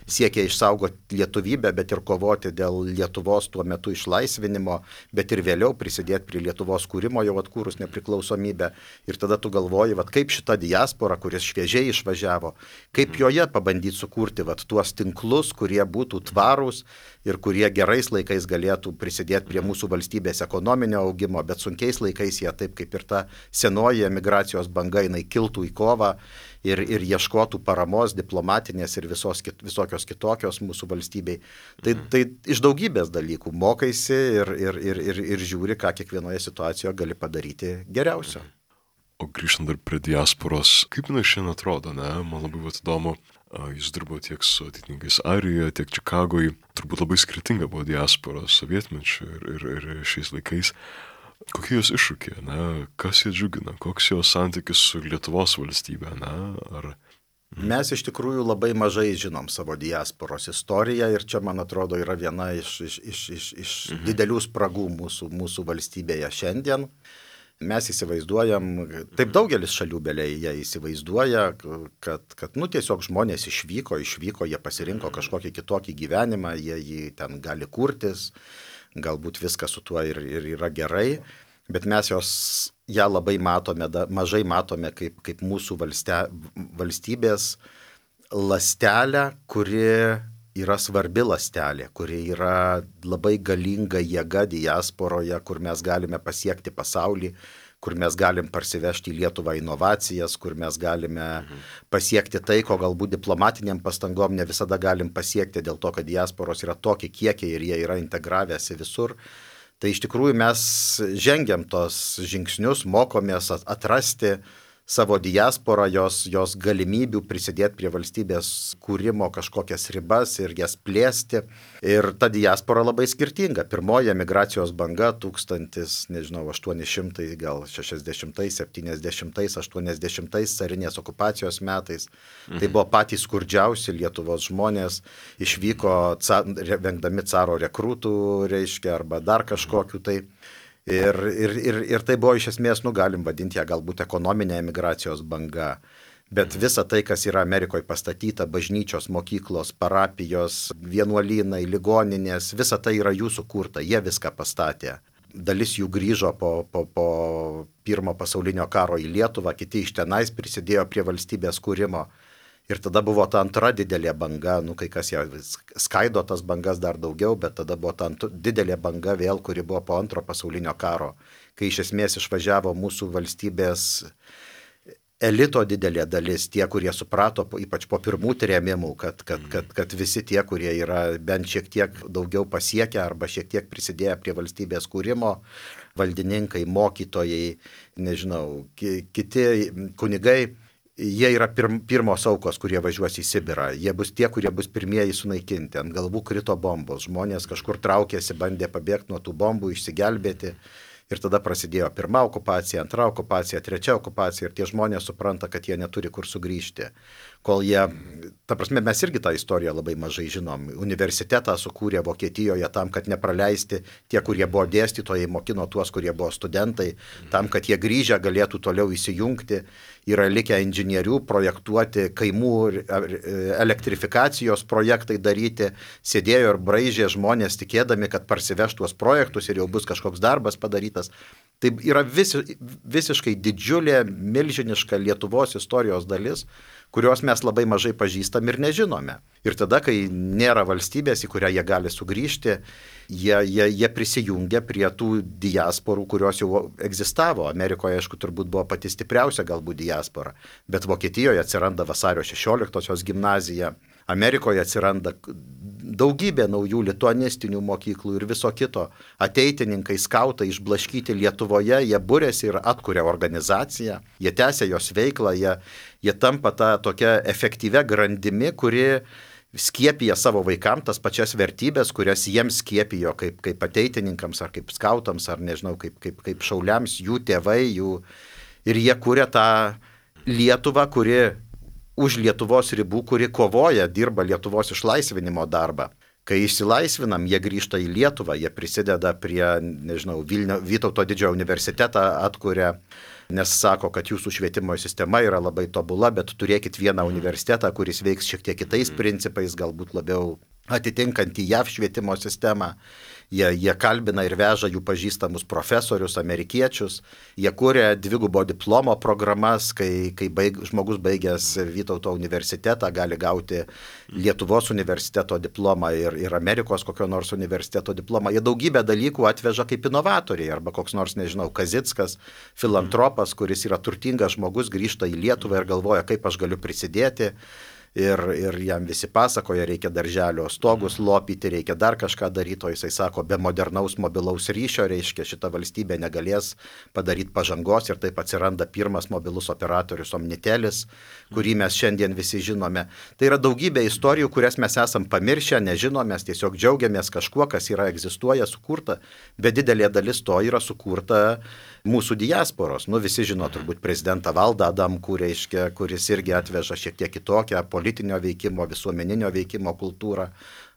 siekia išsaugoti lietuvybę, bet ir kovoti dėl Lietuvos tuo metu išlaisvinimo, bet ir vėliau prisidėti prie Lietuvos kūrimo jau atkūrus nepriklausomybę. Ir tada tu galvoji, vat, kaip šita diaspora, kuris šviežiai išvažiavo, kaip joje pabandyti sukurti vat, tuos tinklus, kurie būtų tvarūs ir kurie gerais laikais galėtų prisidėti prie mūsų valstybės ekonominio augimo, bet sunkiais laikais jie taip kaip ir ta senoji emigracijos banga, jinai kiltų į kovą ir, ir ieškotų paramos diplomatinės ir visos, visokios kitokios mūsų valstybei. Tai, tai iš daugybės dalykų mokaisi ir, ir, ir, ir, ir žiūri, ką kiekvienoje situacijoje gali padaryti geriausio. O grįžtant dar prie diasporos, kaip jinai šiandien atrodo, ne? Man labai vat įdomu, Jis dirbo tiek su atitinkais Airijoje, tiek Čikagoje. Turbūt labai skirtinga buvo diaspora sovietmečiu ir, ir, ir šiais laikais. Kokie jos iššūkiai, ne? Kas jie džiugina, koks jos santykis su Lietuvos valstybė, ne? Ar... Mes iš tikrųjų labai mažai žinom savo diasporos istoriją ir čia, man atrodo, yra viena iš, iš, iš, iš, iš mhm. didelių spragų mūsų, mūsų valstybėje šiandien. Mes įsivaizduojam, taip daugelis šalių beliai jie įsivaizduoja, kad, kad nu, tiesiog žmonės išvyko, išvyko, jie pasirinko kažkokį kitokį gyvenimą, jie jį ten gali kurtis, galbūt viskas su tuo ir, ir yra gerai, bet mes jos, ją labai matome, da, mažai matome kaip, kaip mūsų valste, valstybės lastelę, kuri yra svarbi lastelė, kuri yra labai galinga jėga diasporoje, kur mes galime pasiekti pasaulį, kur mes galim parsivežti į Lietuvą inovacijas, kur mes galime mhm. pasiekti tai, ko galbūt diplomatiniam pastangom ne visada galim pasiekti, dėl to, kad diasporos yra tokie kiekiai ir jie yra integravęsi visur. Tai iš tikrųjų mes žengiam tos žingsnius, mokomės atrasti savo diasporą, jos, jos galimybių prisidėti prie valstybės kūrimo kažkokias ribas ir jas plėsti. Ir ta diaspora labai skirtinga. Pirmoji emigracijos banga tūkstantis, nežinau, aštuoni šimtai, gal šešiasdešimtais, septyniasdešimtais, aštuoniasdešimtais carinės okupacijos metais. Mhm. Tai buvo patys skurdžiausi Lietuvos žmonės, išvyko ca, vengdami caro rekrūtų, reiškia, arba dar kažkokiu tai. Ir, ir, ir, ir tai buvo iš esmės, nu, galim vadinti ją galbūt ekonominė emigracijos banga. Bet visa tai, kas yra Amerikoje pastatyta, bažnyčios, mokyklos, parapijos, vienuolynai, ligoninės, visa tai yra jų sukurta, jie viską pastatė. Dalis jų grįžo po, po, po pirmo pasaulinio karo į Lietuvą, kiti iš tenais prisidėjo prie valstybės kūrimo. Ir tada buvo ta antra didelė banga, nu kai kas ją skaido tas bangas dar daugiau, bet tada buvo ta didelė banga vėl, kuri buvo po antro pasaulinio karo, kai iš esmės išvažiavo mūsų valstybės elito didelė dalis, tie, kurie suprato, ypač po pirmų trėmimų, kad, kad, kad, kad visi tie, kurie yra bent šiek tiek daugiau pasiekę arba šiek tiek prisidėję prie valstybės kūrimo, valdininkai, mokytojai, nežinau, kiti kunigai, jie yra pirm, pirmos aukos, kurie važiuos į Sibirą. Jie bus tie, kurie bus pirmieji sunaikinti. Ant galvų krito bombos. Žmonės kažkur traukėsi, bandė pabėgti nuo tų bombų, išsigelbėti. Ir tada prasidėjo pirma okupacija, antra okupacija, trečia okupacija. Ir tie žmonės supranta, kad jie neturi kur sugrįžti. Kol jie, ta prasme, mes irgi tą istoriją labai mažai žinom. Universitetą sukūrė Vokietijoje tam, kad nepraleisti tie, kurie buvo dėstytojai, mokino tuos, kurie buvo studentai, tam, kad jie grįžę galėtų toliau įsijungti. Yra likę inžinierių projektuoti, kaimų elektrifikacijos projektai daryti, sėdėjo ir braižė žmonės tikėdami, kad parsiveš tuos projektus ir jau bus kažkoks darbas padarytas. Tai yra visi, visiškai didžiulė, milžiniška Lietuvos istorijos dalis, kurios mes labai mažai pažįstam ir nežinome. Ir tada, kai nėra valstybės, į kurią jie gali sugrįžti, jie, jie, jie prisijungia prie tų diasporų, kurios jau egzistavo. Amerikoje, aišku, turbūt buvo pati stipriausia galbūt diaspora, bet Vokietijoje atsiranda vasario šešioliktosios gimnazija, Amerikoje atsiranda daugybė naujų lituanistinių mokyklų ir viso kito. Ateitininkai, skautai išblaškyti Lietuvoje, jie būrėsi ir atkuria organizaciją, jie tęsia jos veiklą, jie, jie tampa tą tokia efektyvia grandimi, kuri skiepija savo vaikams tas pačias vertybės, kurias jiems skiepijo kaip, kaip ateitininkams ar kaip skautams ar nežinau, kaip, kaip, kaip šauliams, jų tėvai, jų... ir jie kuria tą Lietuvą, kuri už Lietuvos ribų, kuri kovoja, dirba Lietuvos išlaisvinimo darbą. Kai išsilaisvinam, jie grįžta į Lietuvą, jie prisideda prie, nežinau, Vilnio, Vytauto didžiojo universitetą atkuria, nes sako, kad jūsų švietimo sistema yra labai tobula, bet turėkit vieną universitetą, kuris veiks šiek tiek kitais principais, galbūt labiau atitinkantį J A V švietimo sistemą. Jie, jie kalbina ir veža jų pažįstamus profesorius, amerikiečius. Jie kūrė dvigubo diplomo programas, kai, kai baig, žmogus baigęs Vytauto universitetą gali gauti Lietuvos universiteto diplomą ir, ir Amerikos kokio nors universiteto diplomą. Jie daugybę dalykų atveža kaip inovatoriai, arba koks nors, nežinau, Kazickas, filantropas, kuris yra turtingas žmogus, grįžta į Lietuvą ir galvoja, kaip aš galiu prisidėti. Ir, ir jam visi pasakoja, reikia darželio stogus lopyti, reikia dar kažką daryti, o jisai sako, be modernaus mobilaus ryšio, reiškia, šita valstybė negalės padaryti pažangos ir taip atsiranda pirmas mobilus operatorius Omnitelis, kurį mes šiandien visi žinome. Tai yra daugybė istorijų, kurias mes esam pamiršę, nežinom, mes tiesiog džiaugiamės kažkuo, kas yra egzistuoja, sukurta, bet didelė dalis to yra sukurta mūsų diasporos. Nu, visi žino turbūt prezidentą Valdą Adamkų, reiškia, kuris irgi atveža šiek tiek kitokią politinio veikimo, visuomeninio veikimo kultūrą,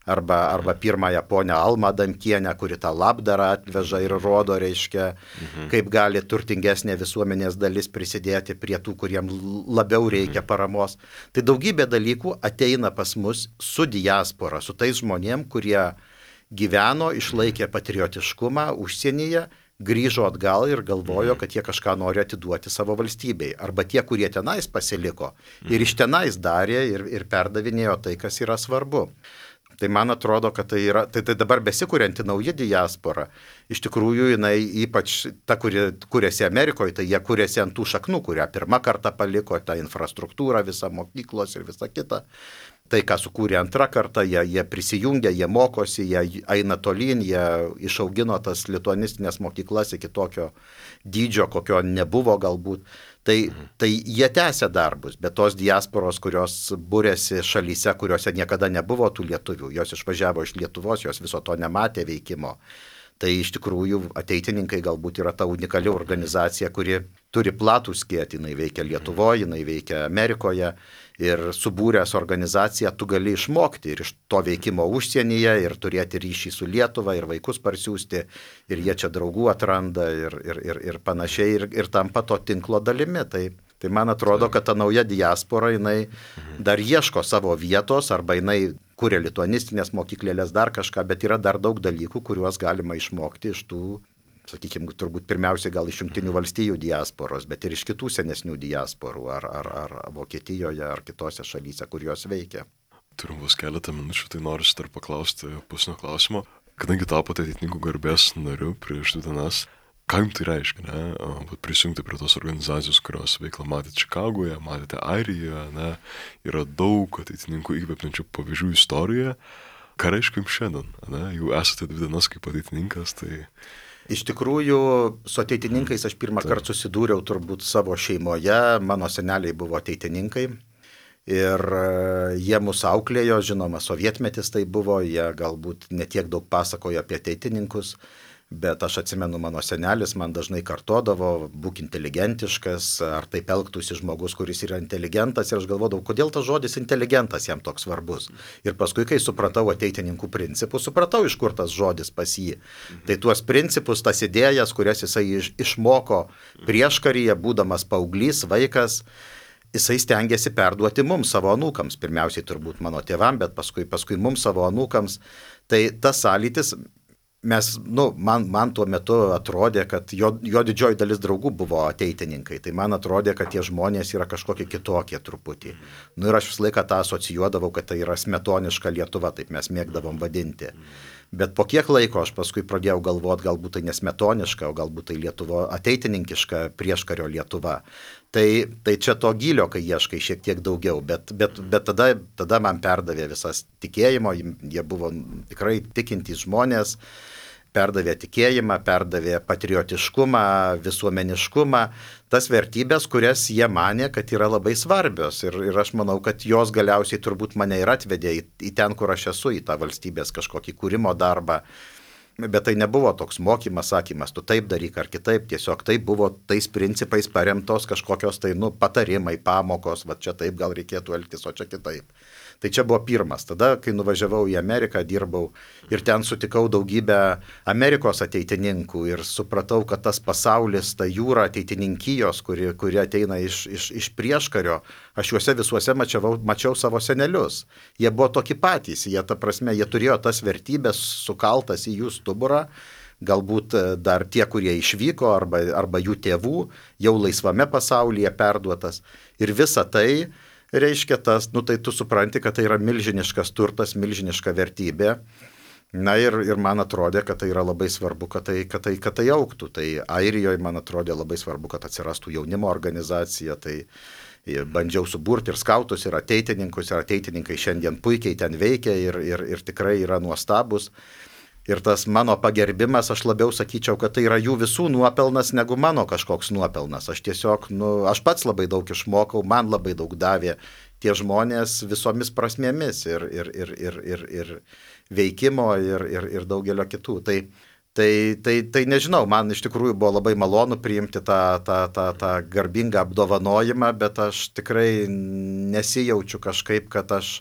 arba, arba pirmąją ponę Almą Adamkienę, kuri tą labdarą atveža ir rodo, reiškia, mhm. kaip gali turtingesnė visuomenės dalis prisidėti prie tų, kuriem labiau reikia paramos. Tai daugybė dalykų ateina pas mus su diaspora, su tais žmonėm, kurie gyveno, išlaikė patriotiškumą užsienyje, grįžo atgal ir galvojo, kad jie kažką nori atiduoti savo valstybei. Arba tie, kurie tenais pasiliko ir iš tenais darė ir, ir perdavinėjo tai, kas yra svarbu. Tai man atrodo, kad tai yra, tai, tai dabar besikurianti nauja diaspora, iš tikrųjų jinai ypač ta, kuri kuriasi Amerikoje, tai jie kuriasi ant tų šaknų, kurią pirmą kartą paliko, tą infrastruktūrą, visą mokyklos ir visą kitą. Tai, ką sukūrė antrą kartą, jie, jie prisijungia, jie mokosi, jie eina tolyn, jie išaugino tas lituanistinės mokyklas iki tokio dydžio, kokio nebuvo galbūt. Tai, tai jie tęsia darbus, bet tos diasporos, kurios būrėsi šalyse, kuriuose niekada nebuvo tų lietuvių, jos išvažiavo iš Lietuvos, jos viso to nematė veikimo. Tai iš tikrųjų ateitininkai galbūt yra ta unikali organizacija, kuri turi platų skėtį, jinai veikia Lietuvoje, jinai veikia Amerikoje ir subūręs organizaciją tu gali išmokti ir iš to veikimo užsienyje ir turėti ryšį su Lietuva ir vaikus parsiųsti ir jie čia draugų atranda ir, ir, ir, ir panašiai ir, ir tampa to tinklo dalimi. Tai, tai man atrodo, kad ta nauja diaspora, jinai dar ieško savo vietos arba jinai kuria lituanistinės mokyklėlės, dar kažką, bet yra dar daug dalykų, kuriuos galima išmokti iš tų, sakykime, turbūt pirmiausiai gal iš Jungtinių valstijų diasporos, bet ir iš kitų senesnių diasporų, ar, ar, ar Vokietijoje, ar kitose šalyse, kur jos veikia. Turim vos keletą minučių, tai noriu dar paklausti pusnio klausimo. Kadangi tapote ateitininkų garbės nariu prieš dvi dienas, ką jums tai reiškia, ne? Prisijungti prie tos organizacijos, kurios veiklą matėte Čikagoje, matėte Airijoje, ne? Yra daug ateitininkų įkvepiančių pavyzdžių istorijoje. Ką reiškia jums šiandien, ne? Jau esate dvi dienas kaip ateitininkas, tai... Iš tikrųjų, su ateitininkais aš pirmą tai. kartą susidūriau turbūt savo šeimoje, mano seneliai buvo ateitininkai ir jie mus auklėjo, žinoma, sovietmetis tai buvo, jie galbūt netiek daug pasakojo apie ateitininkus, bet aš atsimenu, mano senelis man dažnai kartodavo, būk inteligentiškas, ar taip elgtųsi žmogus, kuris yra inteligentas, ir aš galvodavau, kodėl tas žodis inteligentas jam toks svarbus. Ir paskui, kai supratau ateitininkų principus, supratau, iš kur tas žodis pas jį. Tai tuos principus, tas idėjas, kurias jisai iš, išmoko prieškaryje, būdamas paauglys, vaikas, jisai stengiasi perduoti mums, savo anūkams, pirmiausiai turbūt mano tėvam, bet paskui, paskui mums, savo anūkams. Tai tas sąlytis, mes, nu, man, man tuo metu atrodė, kad jo, jo didžioji dalis draugų buvo ateitininkai, tai man atrodė, kad tie žmonės yra kažkokie kitokie truputį. Nu ir aš visą laiką tą asocijuodavau, kad tai yra smetoniška Lietuva, taip mes mėgdavom vadinti. Bet po kiek laiko aš paskui pradėjau galvoti, galbūt tai nesmetoniška, o galbūt tai Lietuvo ateitininkiška prieškario Lietuva. Tai, tai čia to gylio, kai ieškai šiek tiek daugiau, bet, bet, bet tada, tada man perdavė visas tikėjimo, jie buvo tikrai tikintys žmonės, perdavė tikėjimą, perdavė patriotiškumą, visuomeniškumą, tas vertybės, kurias jie manė, kad yra labai svarbios. Ir, ir aš manau, kad jos galiausiai turbūt mane ir atvedė į, į ten, kur aš esu, į tą valstybės kažkokį kūrimo darbą. Bet tai nebuvo toks mokymas, sakymas, tu taip daryk ar kitaip, tiesiog tai buvo tais principais paremtos kažkokios tai, nu, patarimai, pamokos, va čia taip gal reikėtų elgtis, o čia kitaip. Tai čia buvo pirmas. Tada, kai nuvažiavau į Ameriką, dirbau ir ten sutikau daugybę Amerikos ateitininkų ir supratau, kad tas pasaulis, ta jūra ateitininkijos, kuri, kuri ateina iš, iš, iš prieškario, aš juose visuose mačiau, mačiau savo senelius. Jie buvo tokie patys, jie, ta prasme, jie turėjo tas vertybės sukaltas į jų stuburą, galbūt dar tie, kurie išvyko, arba, arba jų tėvų, jau laisvame pasaulyje perduotas. Ir visa tai reiškia tas, nu tai tu supranti, kad tai yra milžiniškas turtas, milžiniška vertybė. Na ir, ir man atrodė, kad tai yra labai svarbu, kad tai, kad tai, kad tai augtų. Tai Airijoje man atrodė labai svarbu, kad atsirastų jaunimo organizacija. Tai bandžiau suburti ir skautus, ir ateitininkus, ir ateitininkai šiandien puikiai ten veikia ir, ir, ir tikrai yra nuostabus. Ir tas mano pagerbimas, aš labiau sakyčiau, kad tai yra jų visų nuopelnas negu mano kažkoks nuopelnas. Aš tiesiog, nu, aš pats labai daug išmokau, man labai daug davė tie žmonės visomis prasmėmis ir, ir, ir, ir, ir, ir veikimo ir, ir, ir daugelio kitų. Tai, tai, tai, tai nežinau, man iš tikrųjų buvo labai malonu priimti tą, tą, tą, tą garbingą apdovanojimą, bet aš tikrai nesijaučiu kažkaip, kad aš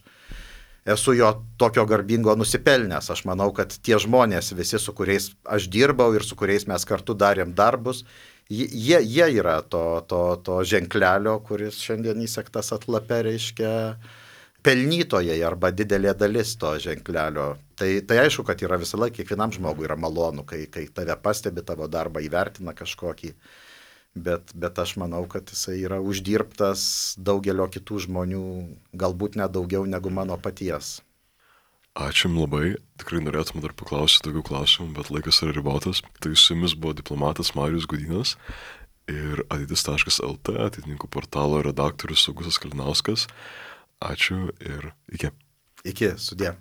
esu jo tokio garbingo nusipelnęs. Aš manau, kad tie žmonės visi, su kuriais aš dirbau ir su kuriais mes kartu darėm darbus, jie, jie yra to, to, to ženklelio, kuris šiandien įsektas atlape, reiškia pelnytojai arba didelė dalis to ženklelio. Tai, tai aišku, kad yra visą laiką, kiekvienam žmogui yra malonu, kai, kai tave pastebi, tavo darbą įvertina kažkokį. Bet, bet aš manau, kad jisai yra uždirbtas daugelio kitų žmonių, galbūt net daugiau negu mano paties. Ačiū jums labai. Tikrai norėtume dar paklausyti daugiau klausimų, bet laikas yra ribotas. Tai su jumis buvo diplomatas Marijus Gudynas ir ateitis taškas el tė, ateitininkų portalo redaktorius Augustas Kalinauskas. Ačiū ir iki. Iki, sudie.